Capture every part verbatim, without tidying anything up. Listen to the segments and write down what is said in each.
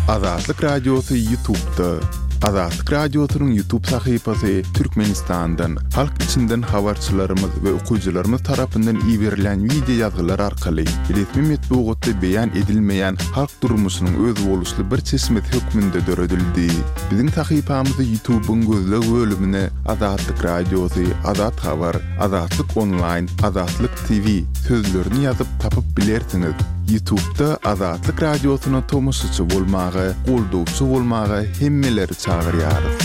Azatlyk Radiosy YouTube'da. Azatlyk Radiosynyň YouTube sahypasy Türkmenistandan, halk içinden habarçylarymyz we okyjylarymyz tarapyndan iberilýän wideo ýazgylar arkaly resmi metbugatda beýan edilmeýän halk durmuşynyň özboluşly bir çeşmesi hökmünde döredildi. Biziň sahypamyzy YouTube'yň gözleg bölümine Azatlyk Radiosy, Azat Habar, Azatlyk Onlaýn, Azatlyk T V sözlerini ýazyp tapyp bilersiňiz. YouTube'da Azatlyk Radiosyna tomaşaçy bolmaga, goldawçy bolmaga hemmeleri çagyrýarys.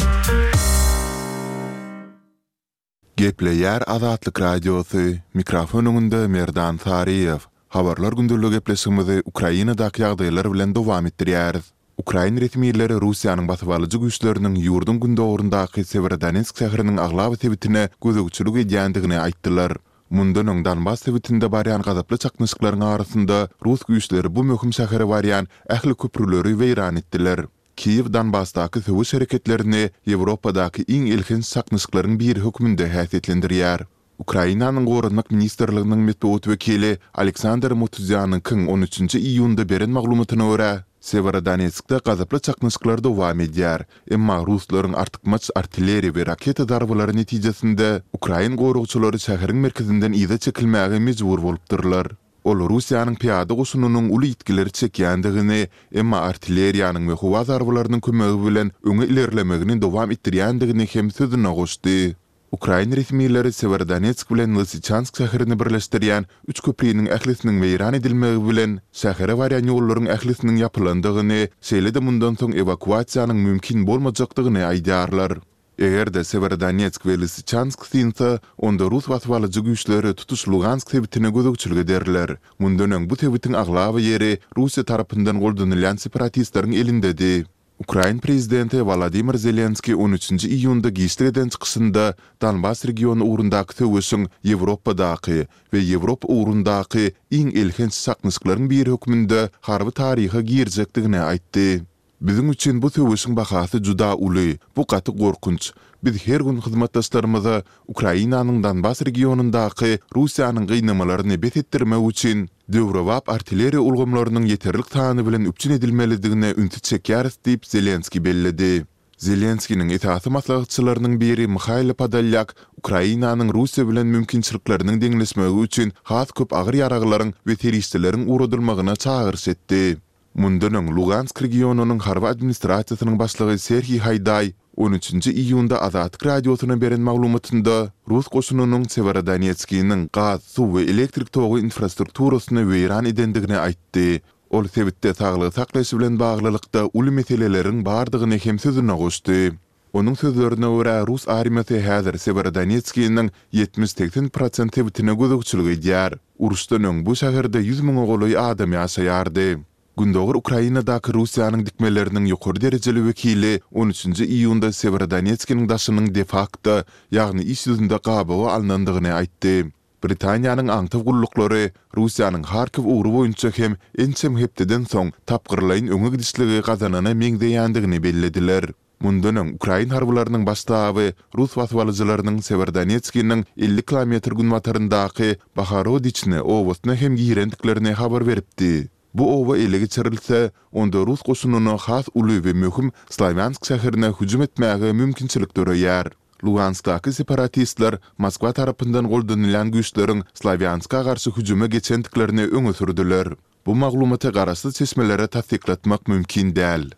Gepleýär Azatlyk Radiosy, mikrofon öňünde Merdan Saryýew. Habarlar gündeligi gepleşigimizi Ukrainadaky ýagdaýlar bilen dowam etdirýäris. Ukrain resmileri Russiýanyň basybalyjy güýçleriniň ýurduň gündogaryndaky Sewerodonetsk şäheriniň aglaba sebitine gözegçilik edýändigini aýtdylar. Mundan öň Donbas sebitinde barýan gazaply çaknyşyklaryň arasynda rus güýçleri bu möhüm şähere barýan ähli köprüleri weýran etdiler. Kiýew Donbasdaky söweş hereketlerini Ýewropadaky iň elhenç çaknyşyklaryň biri hökmünde häsiýetlendirýär. Ukrainanyň Goranmak ministrliginiň metbugat wekili Aleksandr Mutuzýanyňkyň on üçünji iýunda beren maglumatyna görä, Sewerodonetskde gazaply çaknyşyklar dowam edýär, emma ruslaryň artykmaç artilleriýa we raketa zarbalary netijesinde ukrain goragçylary şäheriň merkezinden yza çekilmäge mejbur bolupdyrlar. Ol Russiýanyň pyýada goşunynyň uly ýitgileri çekýändigini, emma artilleriýanyň we howa zarbalarynyň kömegi bilen öňe ilerlemegini dowam etdirýändigini hem sözüne goşdy. Ukrain resmileri Sewerodonetsk bilen Lysyçansk şäherini birleşdirýän üç köpriniň ählisiniň weýran edilmegi bilen şähere barýan ýollaryň ählisiniň ýapylandygyny, şeýle-de mundan soň ewakuasiýanyň mümkin bolmajakdygyny aýdýarlar. Eger-de Sewerodonetsk we Lysyçansk synsa, onda rus basybalyjy güýçleri tutuş Lugansk sebitine gözegçilik ederler. Mundan öň bu sebitiň aglaba ýeri Russiýa tarapyndan goldanylýan separatistleriň elindedi. Ukrain prezidenti Wolodymyr Zelenskiý on üçünji iýunda giçlik eden çykyşynda Donbas regiony ugrundaky söweşiň Ýewropadaky we Ýewropa ugrundaky iň elhenç çaknyşyklaryň biri hökmünde harby taryha girjekdigini aýtdy. Biziň üçin bu söweşiň bahasy juda uly, bu gaty gorkunç. Biz her gün hyzmatdaşlarymyza Ukrainanyň Donbas regionyndaky Russiýanyň gynamalaryny bes etdirmek üçin döwrebap artilleriýa ulgamlarynyň ýeterlik sany bilen üpjün edilmelidigine ünsi çekýäris diýip Zelenskiý belledi. Zelenskiniň esasy maslahatçylarynyň biri Mihailo Podolýak Ukrainanyň Russiýa bilen mümkinçilikleriniň deňleşmegi üçin has köp agyr ýaraglaryň we serişdeleriň ugradylmagyna çagyryş etdi. Mundan öň Lugansk regionynyň harby administrasiýasynyň başlygy Serhiý Haýdaý on üçünji iýunda Azatlyk Radiosyna beren maglumatynda rus goşunynyň Sewerodonetskiniň gaz, suw we elektrik togy infrastrukturasyny weýran edendigini aýtdy. Ol sebitde saglygy saklaýyş bilen baglylykda uly meseleleriň bardygyny hem sözüne goşdy. Onuň sözlerine görä, rus armiýasy häzir Sewerodonetskiniň ýetmiş-segsen prosent sebitine gözegçilik edýär. Uruşdan öň bu şäherde ýüz müňe golaý adam ýaşaýardy. Gündogar Ukrainadaky Russiýanyň dikmeleriniň ýokary derejeli wekili on üçünji iýunda Sewerodonetskiniň daşynyň de-fakto, ýagny iş ýüzünde gabawa alnandygyny aýtdy. Britaniýanyň aňtaw gulluklary Russiýanyň Harkiw ugry boýunça hem ençeme hepdeden soň tapgyrlaýyn öňe gidişligi gazanana meňzeýändigini bellediler. Mundan öň ukrain harbylarynyň baş ştaby rus basybalyjylarynyň Sewerodonetskiniň elli kilometr günbataryndaky Bohorodiçne obasyna hem girendiklerini habar beripdi. Bu oba ele geçirilse, onda rus goşunyna has uly we möhüm Slawýansk şäherine hüjüm etmäge mümkinçilik döreýär. Luganskdaky separatistler Moskwa tarapyndan goldanylýan güýçleriň Slawýanska garşy hüjüme geçendiklerini öňe sürdüler. Bu maglumaty garaşsyz çeşmelere tassyklatmak mümkin däl.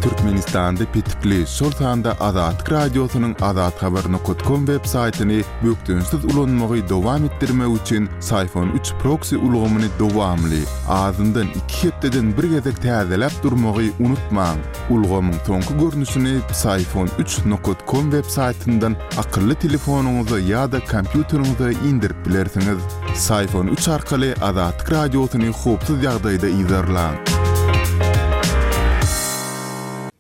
Türkmenistanda petikli, şol sanda Azatlyk Radiosynyň azathabar nokat kom web saýtyny bökdençsiz ulanmagy dowam etdirmek üçin Syfon üç proksi ulgamyny dowamly, azyndan iki hepdeden bir gezek täzeläp durmagy unutmaň. Ulgamyň soňky görnüşini Psiphon üç nokat kom web saýtyndan akylly telefonyňyza ýa-da kompýuteriňize indirip bilersiňiz. Psiphon üç arkaly Azatlyk Radiosyny howpsuz ýagdaýda yzarlaň.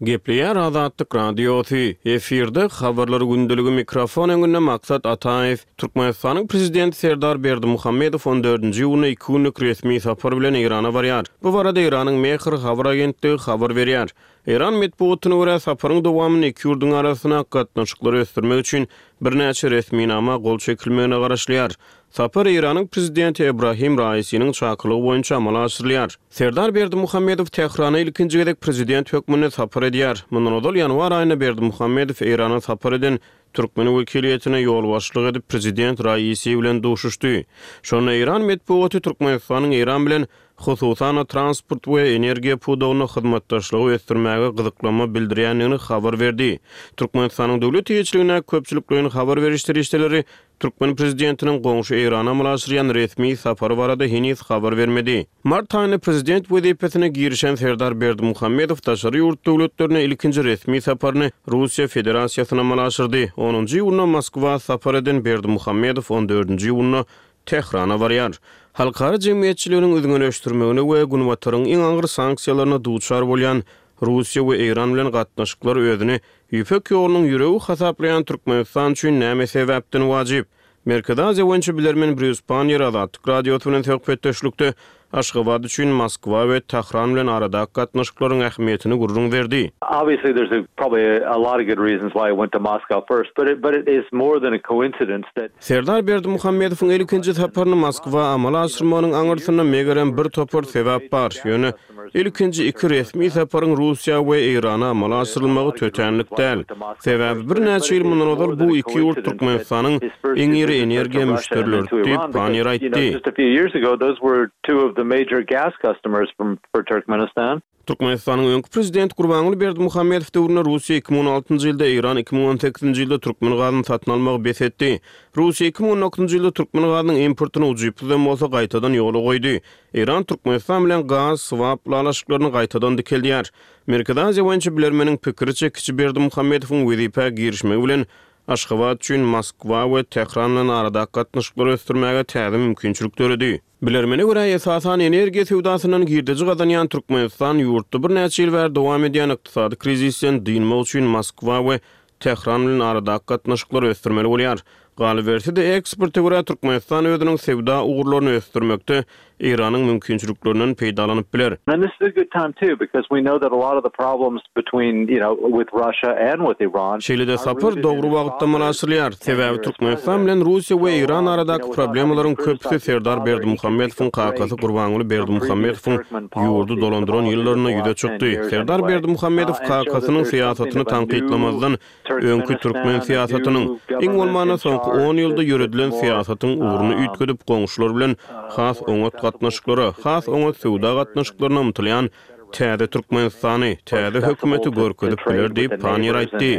Gepleýär Azatlyk Radiosy, efirde Habarlar gündeligi mikrofon öňünde Maksat Ataýew. Türkmenistanyň Prezidenti Serdar Berdimuhamedow on dördünji iýunda iki günlük resmi sapar bilen Eýrana barýar. Bu barada Eýranyň Mehr habar agentligi habar berýär. Eýran metbugatyna görä, saparyň dowamynda iki ýurduň arasyndaky gatnaşyklary ösdürmek üçin birnäçe resminama gol çekilmegine garaşylýar. Sapar Eýranyň prezidenti Ebrahim Raisiniň çakylygy boýunça amala aşyrylýar. Serdar Berdimuhamedow Tährana ilkinji gezek prezident hökmünde sapar edýär. Mundan ozal ýanwar aýynda Berdimuhamedow Eýrana sapar eden türkmen wekiliýetine ýolbaşçylyk edip prezident Raisi bilen duşuşdy. Şonda Eýran metbugaty Türkmenistanyň Eýran bilen hususan transport we energiýa pudagynda hyzmatdaşlygy ösdürmäge gyzyklanma bildirýändigini habar berdi. Türkmenistanyň döwlet eýeçiligindäki köpçülikleýin habar beriş serişdeleri türkmen prezidentiniň goňşy Eýrana amala aşyrýan resmi sapary barada heniz habar bermedi. Mart aýynda prezident wezipesine girişen Serdar Berdimuhamedow daşary ýurt döwletlerine ilkinji resmi saparyny Russiýa Federasiýasyna amala aşyrdy. Onunjy iýunda Moskwa sapar eden Berdimuhamedow on dördünji iýunda Tährana barýar. Halkara jemgyýetçiliginiň üzňeleşdirmegine we Günbataryň iň agyr sanksiýalaryna duçar bolýan Russiýa we Eýran bilen gatnaşyklar özüni Ýüpek ýolunyň ýüregi hasaplaýan Türkmenistan üçin näme sebäpden wajyp? Merkezi Aziýa boýunça bilermen Brýus Panniýer Azatlyk Radiosy bilen söhbetdeşlikde Aşgabat üçin Moskwa we Tähran bilen aradaky gatnaşyklaryň ähmiýetini gürrüň berdi. Obviously there's a, probably a, a lot of good reasons why he went to Moscow first, but it, but it is more than a coincidence that Serdar Berdimuhamedowyň ilkinji saparyny Moskwa amala aşyrmagynyň aňyrsynda megerem bir topar sebäp bar. Ýöne ilkinji iki resmi saparyň Russiýa we Eýrana amala aşyrylmagy tötänlik däl. Sebäbi birnäçe ýyl mundan ozal bu iki ýurt Türkmenistanyň iň iri energiýa müşderileri diýip Panniýer aýtdy. Just a few years ago those were two of the major gas customers from for Turkmenistan. Türkmenistanyň öňki prezidenti Gurbanguly Berdimuhamedow döwründe Russiýa iki müň on altynjy ýylda, Eýran iki müň on sekizinji ýylda türkmen gazyny satyn almagy bes etdi. Russiýa iki müň on dokuzynjy ýylda türkmen gazynyň importyny ujypsyz hem bolsa gaýtadan ýola goýdy. Eýran Türkmenistan bilen gaz swap ylalaşyklaryny gaýtadan dikeldýär. Merkezi Aziýa boýunça bilermeniň pikiriçe kiçi Berdimuhamedowyň wezipä girişmegi bilen Aşgabat üçin Moskwa we Tähran bilen aradaky gatnaşyklary ösdürmäge täze mümkinçilik döredi. Bilermene görä esasan energiýa söwdasyndan girdeji gazanýan Türkmenistan ýurtda birnäçe ýyl bäri dowam edýän ykdysady krizisden dynmak üçin Moskwa we Tähran bilen aradaky gatnaşyklary ösdürmeli bolýar. Galyberse-de eksporta görä Türkmenistan özüniň söwda ugurlaryny ösdürmekde Eýranyň mümkinçiliklerinden peýdalanyp biler. And this is a good time too because we know that a lot of the problems between, you know, with Russia and with Iran Şeýle-de sapar dogry wagtda amala aşyrylýar. Sebäbi Türkmenistan bilen Russiýa we Eýran aradaky problemalaryň köpüsi Serdar Berdimuhamedowyň kakasy Gurbanguly Berdimuhamedowyň ýurdy dolandyran ýyllarynda ýüze çykdy. Serdar Berdimuhamedow kakasynyň syýasatyny tankytlamazdan öňki türkmen syýasatynyň iň bolmanda soňky on ýylda ýöredilen syýasatyň ugruny üýtgedip goňşular bilen has oňat gatnaşyklara, has oňat söwda gatnaşyklaryna ymtylýan täze Türkmenistany, täze hökümeti görkezip biler diýip Panniýer aýtdy.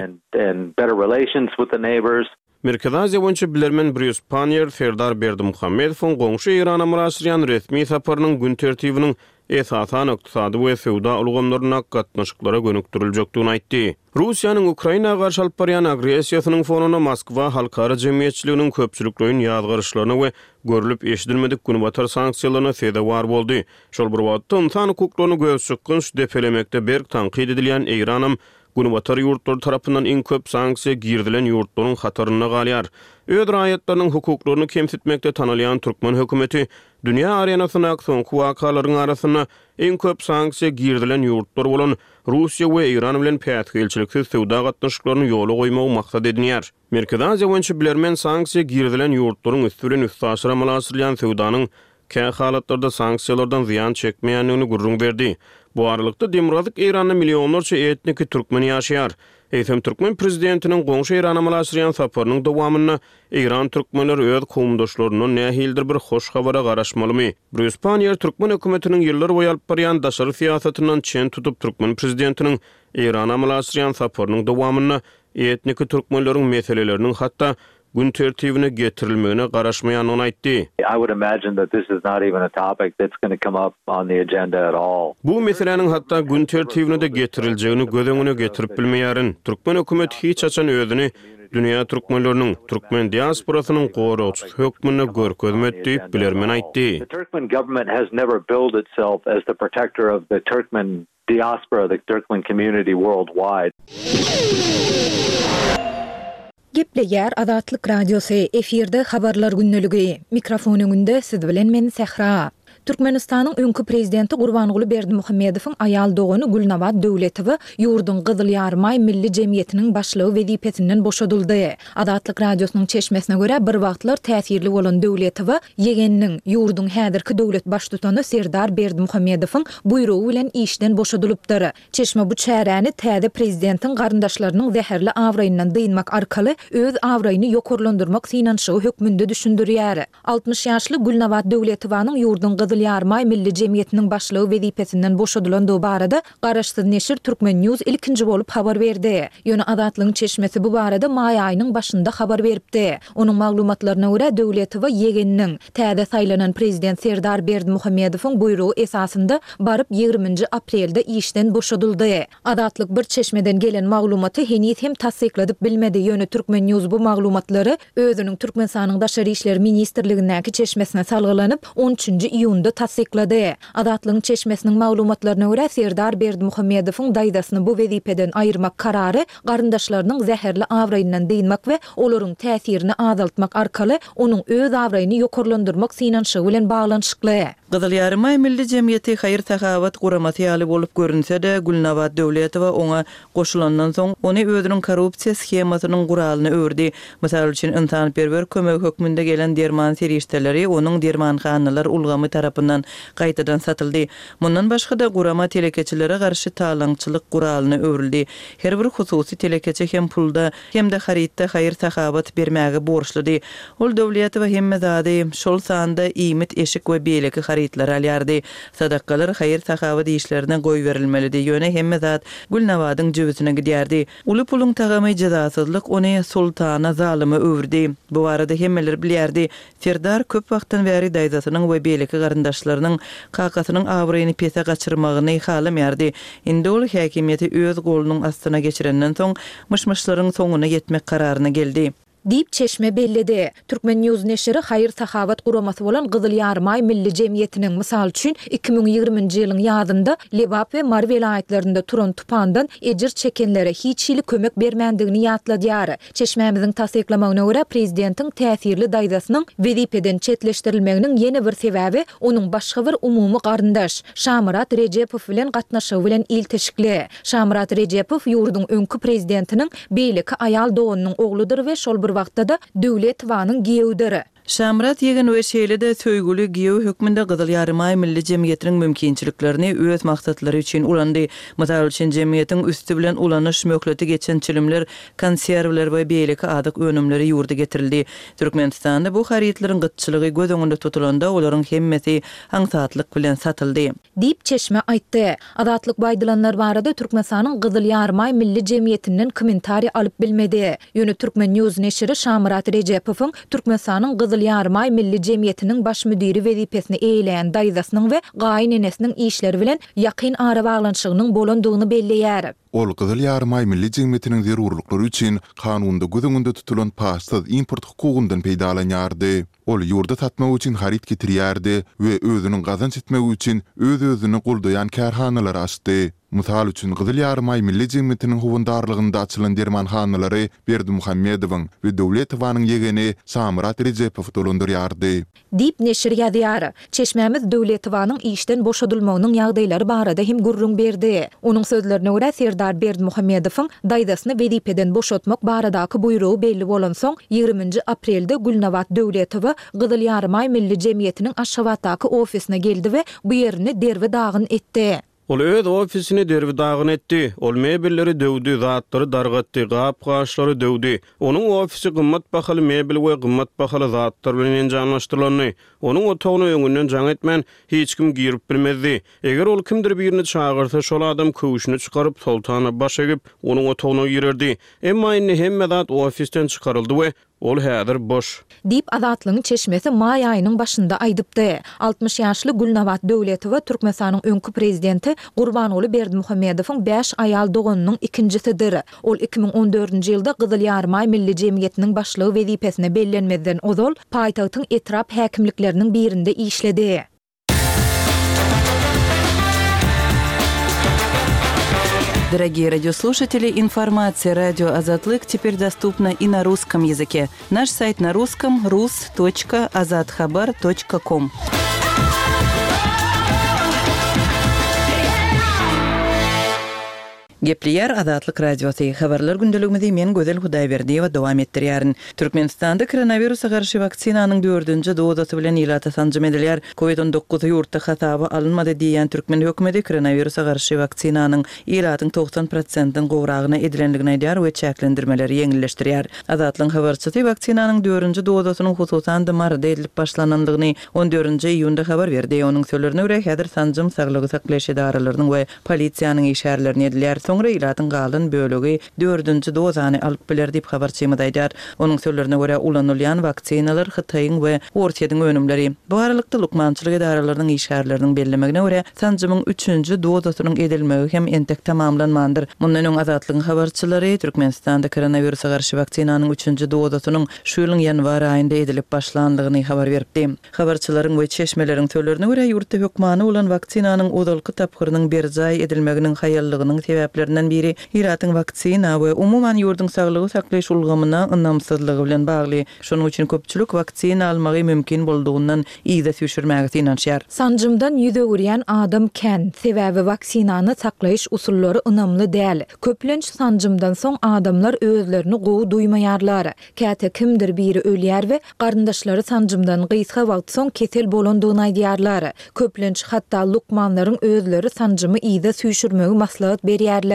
Merkezi Aziýa boýunça bilermen Brýus Panniýer Serdar Berdimuhamedowyň goňşy Eýrana amala aşyrýan resmi saparynyň gün tertibiniň esasan ykdysady we söwda ulgamlarynda gatnaşyklara gönükdiriljekdigini aýtdy. Russiýanyň Ukraina garşy alyp barýan agressiýasynyň fonunda Moskwa halkara jemgyýetçiliginiň köpçülikleýin ýazgaryşlaryna we görlüp eşidilmedik günbatar sanksiýalaryna sezewar boldy. Şol bir wagtda insan hukuklaryny gözçykgynç depelemekde berk tankyt edilýän Eýranam Günbatar ýurtlary tarapyndan iň köp sanksiýa girizilen ýurtlaryň hatarynda galýar. Öz raýatlarynyň hukuklaryny kemsitmekde tanalýan türkmen hökümeti dünýä arenasyndaky soňky wakalaryň arasynda iň köp sanksiýa girizilen ýurtlar bolan Russiýa we Eýran bilen päsgelçiliksiz söwda gatnaşyklaryny ýola goýmagy maksat edinýär. Merkezi Aziýa boýunça bilermen sanksiýa girizilen ýurtlaryň üsti bilen üstaşyr amala aşyrylýan söwdanyň kä halatlarda sanksiýalardan zyýan çekmeýändigini gürrüň berdi. Bu aralykda Demirgazyk Eýranda millionlarça etniki türkmen ýaşaýar. Eýsem türkmen prezidentiniň goňşy Eýrana amala aşyrýan saparynyň dowamynda Eýran türkmenleri öz kowumdaşlaryndan nähilidir bir hoş habara garaşmalymy? Brýus Panniýer türkmen hökümetiniň ýyllar boýy alyp barýan daşary syýasatyndan çen tutup türkmen prezidentiniň Eýrana amala aşyrýan saparynyň dowamynda etniki türkmenleriň meseleleriniň hatda gün tertibine getirilmegine garaşmaýandygyny aýtdy. I would imagine that this is not even a topic that's gonna come up on the agenda at all. Bu meseläniň hatda gün tertibine-de getiriljegini göz öňüne getirip bilmeýärin. Türkmen hökümeti hiç haçan özüni dünýä türkmenleriniň, türkmen diasporasynyň goragçysy hökmünde görkezmedi diýip bilermen aýtdy. The Turkmen government has never billed itself as the protector of the Turkmen diaspora, the Turkmen community worldwide. Gepleýär Azatlyk Radiosy, efirde habarlar gündeligi. Mikrofon öňünde siz bilen men Sähra. Türkmenistanyň öňki Prezidenti Gurbanguly Berdimuhamedowyň aýal dogany Gülnabat Döwletowa ýurduň Gyzyl Ýarymaý milli jemgyýetiniň başlygy wezipesinden boşadyldy. Azatlyk Radiosynyň çeşmesine görä, bir wagtlar täsirli bolan Döwletowa ýegeniniň, ýurduň häzirki döwlet baştutany Serdar Berdimuhamedowyň buýrugy bilen işden boşadylypdyr. Çeşme bu çäräni täze prezidentiň garyndaşlarynyň zäherli abraýyndan dynmak arkaly öz abraýyny ýokarlandyrmak synanyşygy hökmünde düşündirýär. Altmyş ýaşly Gülnabat Döwletowanyň ýurduň Gyzyl Ýarymaý milli jemgyýetiniň başlygy wezipesinden boşadylandygy barada garaşsyz neşir Turkmen. News ilkinji bolup habar berdi. Ýöne Azatlygyň çeşmesi bu barada maý aýynyň başynda habar beripdi. Onuň maglumatlaryna görä, Döwletowa ýegeniniň, täze saýlanan prezident Serdar Berdimuhamedowyň buýrugy esasynda baryp ýigriminji aprelde işden boşadyldy. Azatlyk bir çeşmeden gelen maglumaty heniz hem tassykladyp bilmedi, ýöne Turkmen. News bu maglumatlary özüniň Türkmenistanyň Daşary işler ministrligindäki çeşmesine salgylanyp, on üçünji iýunda tassyklady. Azatlygyň çeşmesiniň maglumatlaryna görä, Serdar Berdimuhamedowyň daýzasyny bu wezipeden aýyrmak karary garyndaşlarynyň zäherli abraýyndan dynmak we olaryň täsirini azaltmak arkaly onuň öz abraýyny ýokarlandyrmak synanyşygy bilen baglanyşykly. Gyzyl Ýarymaý milli jemgyýeti haýyr-sahawat guramasy ýaly bolup görünse-de, Gülnabat Döwletowa oňa goşulandan soň, ony özüniň korrupsiýa shemasynyň guralyna öwürdi. Mysal üçin, ynsanperwer kömegi hökmünde gelen derman serişdeleri onuň dermanhanalar ulgamy tarapyndan gaýtadan satyldy. Mundan başga-da, gurama telekeçilere garşy talaňçylyk guralyna öwrüldi. Her bir hususy telekeçi hem pulda, hem-de harytda haýyr-sahawat bermäge borçludy. Ol Döwletowa hemme zady, şol sanda iýmit, eşik we beýleki harytlary alýardy. Sadakalar haýyr-sahawat işlerine goýberilmelidi, ýöne hemme zat Gülnabadyň jübüsine gidýärdi. Uly puluň tagamy jezasyzlyk ony sultana zalyma öwürdi. Bu barada hemmeler bilýärdi. Serdar köp wagtdan bäri daýzasynyň we beýleki garyndaşlarynyň kakasynyň abraýyny pese gaçyrmagyny halamaýardy. Indi ol häkimiýeti öz golunyň astyna geçirenden soň myş-myşlaryň soňuna ýetmek kararyna geldi. Diýip çeşme belledi. Turkmen. News neşiri haýyr-sahawat guramasy bolan Gyzyl Ýarymaý milli jemgyýetiniň, mysal üçin, iki müň ýigriminji ýylyň ýazynda Lebap we Mary welaýatlarynda turan tupandan ejir çekenlere hiç hili kömek bermändigini ýatladýar. Çeşmämiziň tassyklamagyna görä, prezidentiň täsirli daýzasynyň wezipeden çetleşdirilmeginiň ýene bir sebäbi onuň başga bir umumy garyndaş, Şamyrat Rejepow bilen gatnaşygy bilen ilteşikli. Şamyrat Rejepow ýurduň öňki prezidentiniň beýleki aýal doganynyň ogludyr we şol bir wagtda-da Döwletowanyň giýewidir. Şamyrat ýegen we şeýle-de söýgüli giýew hökmünde Gyzyl Ýarymaý milli jemgyýetiniň mümkinçiliklerini öz maksatlary üçin ulandy. Mysal üçin, jemgyýetiň üsti bilen ulanyş möhleti geçen çilimler, konserwler we beýleki azyk önümleri ýurda getirildi. Türkmenistanda bu harytlaryň gytçylygy göz öňünde tutulanda, olaryň hemmesi aňsatlyk bilen satyldy. Diýip, çeşme aýtdy. Azatlyk bu aýdylanlar barada Türkmenistanyň Gyzyl Ýarymaý milli jemgyýetinden kommentariý alyp bilmedi. Ýöne Turkmen. News neşiri Şamyrat Rejepowyň Türkmenistanyň Gyzyl Ýarymaý milli jemgyýetiniň baş müdiri wezipesini eýeleýän daýzasynyň we gaýynenesiniň işleri bilen ýakyn arabaglanyşygynyň bolandygyny belleýär. Ol Gyzyl Ýarymaý milli jemgyýetiniň zerurlyklary üçin kanunda göz öňünde tutulan paçsyz import hukugyndan peýdalanýardy. Ol ýurda satmak üçin haryt getirýärdi we özüniň gazanç etmegi üçin öz-özüni goldaýan kärhanalary açdy. Mysal üçin, Gyzyl Ýarymaý milli jemgyýetiniň howandarlygynda açylan dermanhanalary Berdimuhamedowyň we Döwletowanyň ýegeni Şamyrat Rejepow dolandyrýardy. Diýip, neşir ýazýar. Çeşmämiz Döwletowanyň işden boşadylmagynyň ýagdaýlary barada hem gürrüň berdi. Onuň sözlerine görä, Serdar Berdimuhamedowyň daýzasyny wezipeden boşatmak baradaky buýrugy belli bolansoň, ýigriminji aprelde Gülnabat Döwletowa Gyzyl Ýarymaý milli jemgyýetiniň Aşgabatdaky ofisine geldi we bu ýerini derbi-dagyn etdi. Ol öz ofisini derbi-dagyn etdi. Ol mebelleri döwdi, zatlary dargatdy, gap-gaçlary döwdi. Onuň ofisi gymmat bahaly mebel we gymmat bahaly zatlar bilen enjamlaşdyrylandy. Onuň otagyna öňünden jaň etmän, hiç kim girip bilmezdi. Eger ol kimdir birini çagyrsa, şol adam köwşüni çykaryp, soltana baş egip, onuň otagyna girerdi. Emma indi hemme zat ofisden çykaryldy we ol häzir boş. Diýip, Azatlygyň çeşmesi maý aýynyň başynda aýdypdy. Altmyş ýaşly Gülnabat Döwletowa Türkmenistanyň öňki prezidenti Gurbanguly Berdimuhamedowyň bäş aýal doganynyň ikinjisidir. Ol iki müň on dördünji ýylda Gyzyl Ýarymaý milli jemgyýetiniň başlygy wezipesine bellenmezden ozal paýtagtyň etrap häkimlikleriniň birinde işledi. Дорогие радиослушатели, информация радио Азатлык теперь доступна и на русском языке. Наш сайт на русском rus точка azathabar точка ком. Gepleýär Azatlyk Radiosy, Habarlar gündeligimizi men Gözel Hudaýberdiýewa dowam etdirýärin. Türkmenistanda koronawirusa garşy waksinanyň dördünji dozasy bilen ilata sanjym edilýär. Covid on dokuz ýurtda hasaba alynmady diýýän türkmen hökümeti koronawirusa garşy waksinanyň ilatyň togsan prosentden gowragyna edilendigini aýdýar we çäklendirmeleri ýeňilleşdirýär. Azatlygyň habarçysy waksinanyň dördünji dozasynyň hususan-da Maryda edilip başlanandygyny on dördünji iýunda habar berdi. Onuň sözlerine görä, häzir sanjym saglygy saklaýyş edaralarynyň we polisiýanyň işgärlerine edilýär. Soňra ilatyň galan bölegi dördünji dozany alyp biler diýip habarçymyz aýdýar. Onuň sözlerine görä, ulanylýan waksinalar Hytaýyň we Orsýetiň önümleri. Bu aralykda lukmançylyk edaralarynyň işgärleriniň bellemegine görä, sanjymyň üçünji dozasynyň edilmegi hem entek tamamlanmandyr. Mundan öň Azatlygyň habarçylary Türkmenistanda koronawirusa garşy waksinanyň üçünji dozasynyň şu ýylyň ýanwar aýynda edilip başlandygyny habar beripdi. Habarçylaryň we çeşmeleriň sözlerine görä, ýurtda hökmany bolan waksinanyň ozalky tapgyrynyň berjaý edilmeginiň haýallygynyň sebäplerinden biri ilatyň waksina we umuman ýurduň saglygy saklaýyş ulgamyna ynamsyzlygy bilen bagly. Şonuň üçin köpçülik waksina almagy mümkin boldugyndan yza süýşürmäge synanyşýar. Sanjymdan ýüz öwürýän adam kän, sebäbi waksinany saklaýyş usullary ynamly däl. Köplenç sanjymdan soň adamlar özlerini gowy duýmaýarlar. Käte kimdir biri ölýär we garyndaşlary sanjymdan gysga wagt soň kesel bolandygyny aýdýarlar. Köplenç hatda lukmanlaryň özleri sanjymy yza süýşürmegi maslahat berýärler.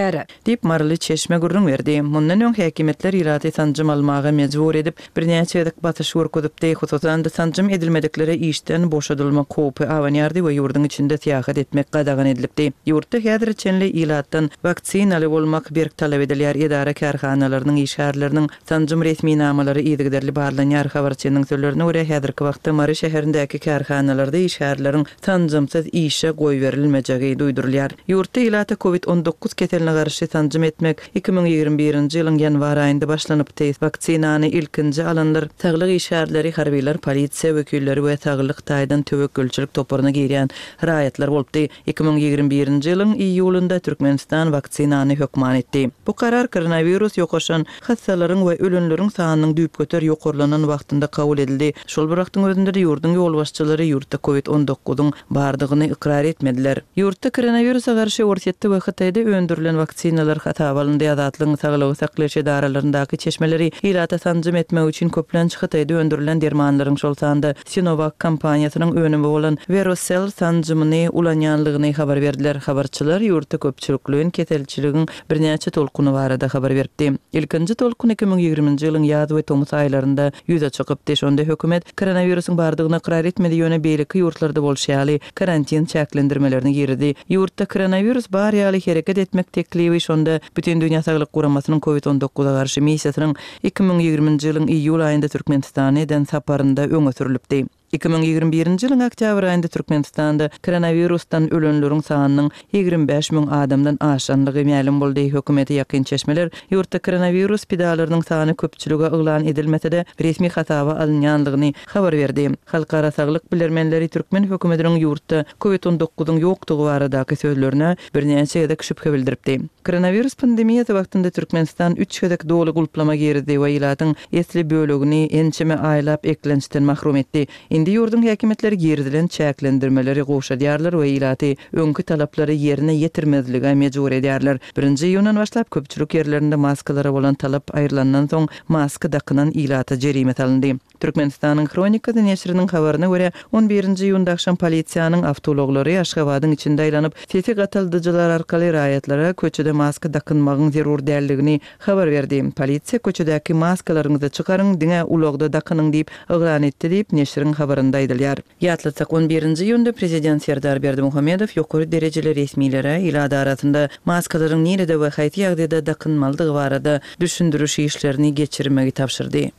Diýip Maryly çeşme gürrüň berdi. Mundan öň häkimiýetler ilaty sanjym almaga mejbur edip, birnäçe gezek basyş görkezipdi. Hususan-da sanjym edilmediklere işden boşadylmak howpy abanýardy we ýurduň içinde syýahat etmek gadagan edilipdi. Ýurtda häzir çenli ilatdan waksinaly bolmak berk talap edilýär. Edara kärhanalarynyň işgärleriniň sanjym resminamalary yzygiderli barlanýar. Habarçynyň sözlerine görä, häzirki wagtda Mary şäherindäki kärhanalarda işgärleriň sanjymsyz işe goýberilmejegi duýdurylýar. Ýurtda ilata Covid on dokuz keseline garşy sanjym etmek iki müň ýigrimi birinji ýylyň ýanwar aýynda başlanypdy. Waksinany ilkinji alanlar saglyk işgärleri, harbylar, polisiýa wekilleri we saglyk taýdan töwekgelçilik toparyna girýän raýatlar bolupdy. Iki müň ýigrimi birinji ýylyň iýulynda Türkmenistan waksinany hökman etdi. Bu karar koronawirus ýokaşan hassalaryň we ölenleriň sanynyň düýpgöter ýokarlanan wagtynda kabul edildi. Şol bir wagtyň özünde ýurduň ýolbaşçylary ýurtda Covid on dokuzyň bardygyny ykrar etmediler. Ýurtda koronawirusa garşy Orsýetde we Hytaýda öndürilen waksinalar hasaba alyndy. Azatlygyň saglygy saklaýyş edaralaryndaky çeşmeleri ilata sanjym etmek üçin köplenç Hytaýda öndürilen dermanlaryň şol sanda Sinovac kompaniýasynyň önümi bolan Verocell sanjymyny ulanýanlygyny habar berdiler. Habarçylar ýurtda köpçülikleýin keselçiligiň birnäçe tolkuny barada habar beripdi. Ilkinji tolkun iki müň ýigriminji ýylyň ýaz we tomus aýlarynda ýüze çykypdy. Şonda hökümet koronawirusyň bardygyny ykrar etmedi, ýöne beýleki ýurtlarda bolşy ýaly karantin çäklendirmelerini girdi. Ýurtda koronawirus bar ýaly hereket etmek teklibi şonda Bütün Dünýä Saglyk Guramasynyň Covid on dokuza garşy missiýasynyň iki müň ýigriminji ýylyň iýul aýynda Türkmenistana eden saparynda öňe sürülipdi. Iki müň ýigrimi birinji ýylyň oktýabr aýynda Türkmenistanda koronawirusdan ölenleriň sanynyň ýigrimi bäş müň adamdan aşanlygy mälim boldy. Hökümete ýakyn çeşmeler ýurtda koronawirus pidalarynyň sany köpçülige yglan edilmese-de resmi hasaba alynýanlygyny habar berdi. Halkara saglyk bilermenleri türkmen hökümetiniň ýurtda Covid on dokuzyň ýokdugy baradaky sözlerine birnäçe gezek şübhe bildiripdi. Koronawirus pandemiýasy wagtynda Türkmenistan üç gezek doly gulplama girdi we ilatyň esli bölegini ençeme aýlap eklençden mahrum etdi. Indi ýurduň häkimiýetleri girizilen çäklendirmeleri gowşadýarlar we ilaty öňki talaplary ýerine ýetirmezlige mejbur edýärler. Birinji iýundan başlap köpçülik ýerlerinde maskalara bolan talap aýrylandan soň maska dakynan ilata jerime salyndy. Türkmenistanyň Hronikasy neşiriniň habaryna görä, on birinji iýunda akşam polisiýanyň awtoulaglary Aşgabadyň içinde aýlanyp, sesi gataldyjylar arkaly raýatlara köçede maska dakynmagyň zerur däldigini habar berdi. Polisiýa köçedäki maskalaryňyzy çykaryň, diňe ulagda dakynyň diýip yglan etdi diýip, neşiriň habarynda aýdylýar. Ýatlatsak, on birinji iýunda prezident Serdar Berdimuhamedow ýokary derejeli resmilere ilat arasynda maskalaryň nirede we haýsy ýagdaýda dakynmalydygy barada düşündiriş işlerini geçirmegi tabşyrdy.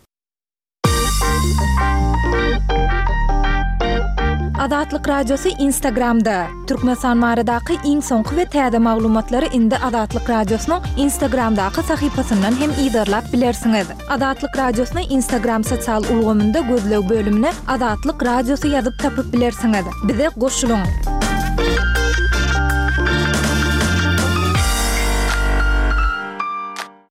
Azatlyk Radiosy Instagramda. Türkmenistan baradaky iň soňky we täze maglumatlary indi Azatlyk Radiosynyň Instagramdaky sahypasyndan hem yzarlap bilersiňiz. Azatlyk Radiosyny Instagram sosial ulgamynda gözleg bölümine Azatlyk Radiosy ýazyp tapyp bilersiňiz. Bize goşulyň.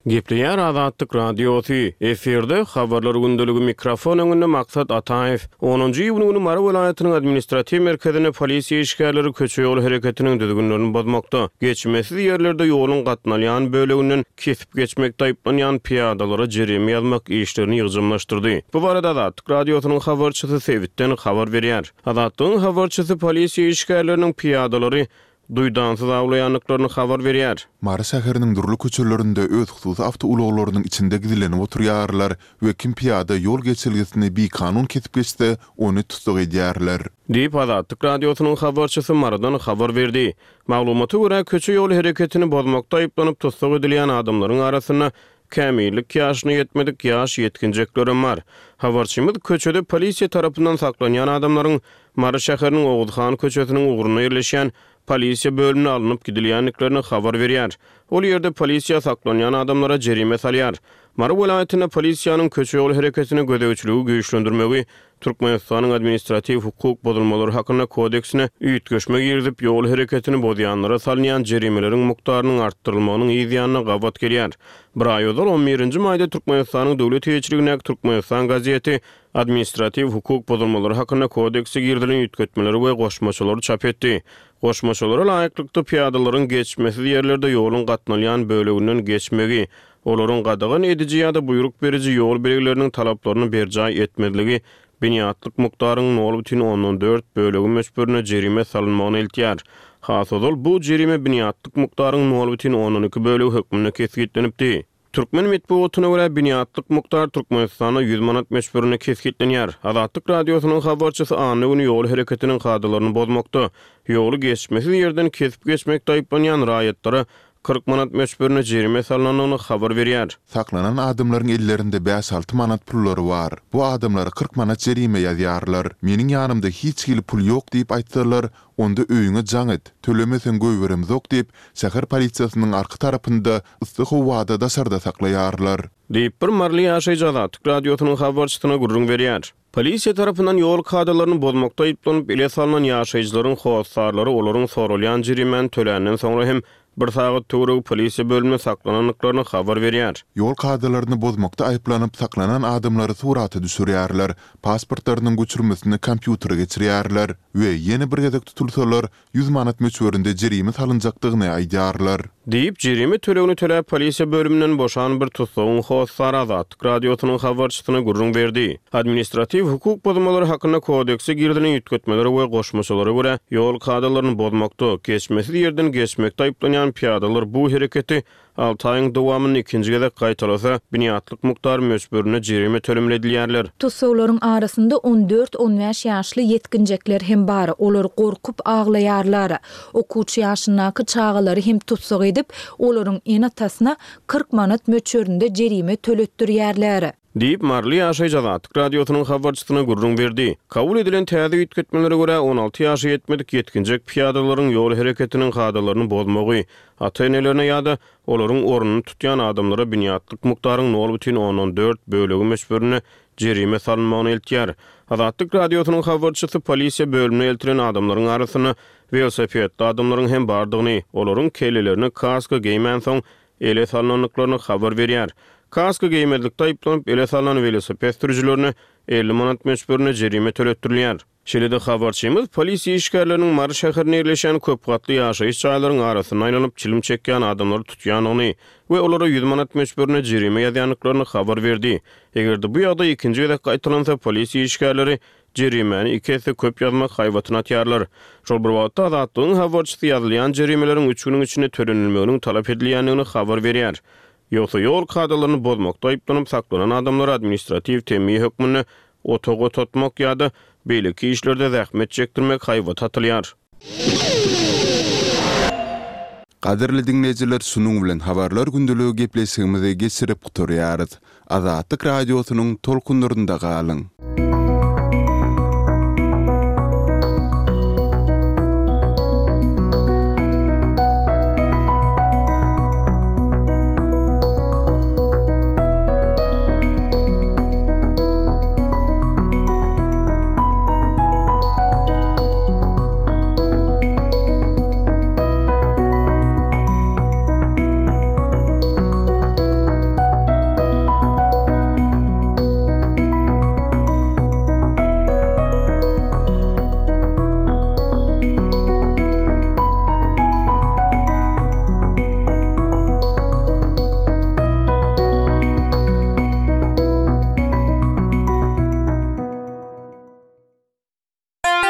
Gepleýär Azatlyk Radiosy, efirde Habarlar gündeligi mikrofon öňünde Maksat Ataýew. Onunjy iýun güni Mary welaýatynyň administratiw merkezinde polisiýa işgärleri köçe-ýol hereketiniň düzgünlerini bozmakda, geçmesiz ýerlerde ýoluň gatnalýan böleginden kesip geçmekde aýyplanýan pyýadalara jerime ýazmak işlerini ýygjamlaşdyrdy. Bu barada Azatlyk Radiosynyň habarçysy sebitden habar berýär. Azatlygyň habarçysy polisiýa işgärleriniň pyýadalary duýdansyz awlaýandyklaryny habar berýär. Mary şäheriniň dürli köçelerinde öz hususy awtoulaglarynyň içinde gizlenip oturýarlar we kim pyýada ýol geçelgesini bikanun kesip geçse, ony tussag edýärler. Diýip, Azatlyk Radiosynyň habarçysy Marydan habar berdi. Maglumata görä, köçe-ýol hereketini bozmakda aýyplanyp tussag edilýän adamlaryň arasynda kämillik ýaşyna ýetmedik ýaş ýetginjeklerem bar. Habarçymyz köçede polisiýa tarapyndan saklanýan adamlaryň Mary şäheriniň Oguzhan köçesiniň ugrunda ýerleşýän polisiýa bölümine alnyp gidilýändiklerini habar berýär. Ol ýerde polisiýa saklanýan adamlara jerime salýar. Mary welaýatynda polisiýanyň köçe-ýol hereketine gözegçiligi güýçlendirmegi Türkmenistanyň Administratiw hukuk bozulmalary hakynda kodeksine üýtgeşme girizip, ýol hereketini bozýanlara salynýan jerimeleriň mukdarynyň artdyrylmagynyň yz ýanyna gabat gelýär. Bir aý ozal, on birinji maýda Türkmenistanyň döwlet eýeçiligindäki Türkmenistan gazeti Administratiw hukuk bozulmalary hakynda kodekse girizilen üýtgetmeleri we goşmaçalary çap etdi. Goşmaçalara laýyklykda, pyýadalaryň geçmesiz ýerlerde ýoluň gatnalýan böleginden geçmegi, olaryň gadagan ediji ýa-da buýruk beriji ýol belgileriniň talaplaryny berjaý etmezligi binýatlyk mukdaryň nol bütin ondan dört bölegi möçberinde jerime salynmagyna eltýär. Has ozal bu jerime binýatlyk mukdaryň nol bütin ondan iki bölegi hökmünde kesgitlenipdi. Türkmen metbugatyna görä, binýatlyk mukdar Türkmenistanda ýüz manat möçberinde kesgitlenýär. Azatlyk Radiosynyň habarçysy anna güni ýol hereketiniň kadalaryny bozmakda, ýoly geçmesiz ýerden kesip geçmekde aýyplanýan raýatlara kyrk manat möçberinde jerime salnandygyny habar berýär. Saklanan adamlaryň ellerinde bäş-alty manat pullary bar. Bu adamlara kyrk manat jerime ýazýarlar. Meniň ýanymda hiç hili pul ýok diýip aýtsalar, onda öýüňe jaň et, tölemeseň goýberemzok diýip, şäher polisiýasynyň arka tarapynda yssy howada daşarda saklaýarlar. Diýip, bir maryly ýaşaýjy Azatlyk Radiosynyň habarçysyna gürrüň berýär. Polisiýa tarapyndan ýol kadalaryny bozmakda aýyplanyp ele salnan ýaşaýjylaryň hossarlary olaryň soralýan jerimäni töländen soňra hem bir sagat töweregi polisiýa bölüminde saklanandyklaryny habar berýär. Ýol kadalaryny bozmakda aýyplanyp saklanan adamlary surata düşürýärler, pasportlarynyň göçürmesini kompýutere geçirýärler we ýene bir gezek tutulsalar, ýüz manat möçberinde jerime salynjakdygyny aýdýarlar. Diýip, jerime tölegini töläp polisiýa bölüminden boşan bir tussagyň hossary Azatlyk Radiosynyň habarçysyna gürrüň berdi. Administratiw hukuk bozulmalary hakynda kodekse girizilen üýtgetmelere we goşmaçalara görä, ýol kadalaryny bozmakda, geçmesiz ýerden geçmekde aýyplanýan pyýadalar bu hereketi alty aýyň dowamynda ikinji gezek gaýtalasa, binýatlyk mukdar möçberinde jerime tölemeli edilýärler. Tussaglaryň arasynda on dört-on bäş ýaşly ýetginjekler hem bar, olar gorkup aglaýarlar. Okuwçy ýaşyndaky çagalary hem tussag edip, olaryň ene-atasyna kyrk manat möçberinde jerime töletdirýärler. Diýip, maryly ýaşaýjy Azatlyk Radiosynyň habarçysyna gürrüň berdi. Kabul edilen täze üýtgetmelere görä, on alty ýaşa ýetmedik ýetginjek pyýadalaryň ýol hereketiniň kadalaryny bozmagy, ata-enelerine ýa-da olaryň ornuny tutýan adamlara binýatlyk mukdaryň nol bütin ondan dört bölegi möçberinde jerime salynmagyna eltýär. Azatlyk Radiosynyň habarçysy polisiýa bölümine eltilen adamlaryň arasynda welosipedli adamlaryň hem bardygyny, olaryň kellelerine kaska geýmänsoň ele salnandyklaryny habar berýär. Kaska geýmezlikde aýyplanyp ele salnan welosiped sürüjilerine elli manat möçberinde jerime töletdirilýär. Şeýle-de habarçymyz polisiýa işgärleriniň Mary şäherinde ýerleşýän köp gatly ýaşaýyş jaýlaryň arasynda aýlanyp çilim çekýän adamlary tutýandygyny we olara ýüz manat möçberinde jerime ýazýandyklaryny habar berdi. Eger-de bu ýagdaý ikinji gezek gaýtalansa, polisiýa işgärleri jerimäni iki esse köp ýazmak haýbatyny atýarlar. Şol bir wagtda Azatlygyň habarçysy ýazylýan jerimeleriň üç günüň içinde tölenilmeginiň talap edilýändigini habar berýär. Ýogsa ýol kadalaryny bozmakda aýyplanyp saklanan adamlara administratiw temmi hökmünde otag otatmak ýa-da beýleki işlerde zähmet çekdirmek haýbaty atylýar. Gadyrly diňleýjiler, şunuň bilen Habarlar gündeligi gepleşigimizi geçirip gutarýarys. Azatlyk Radiosynyň tolkunlarynda galyň!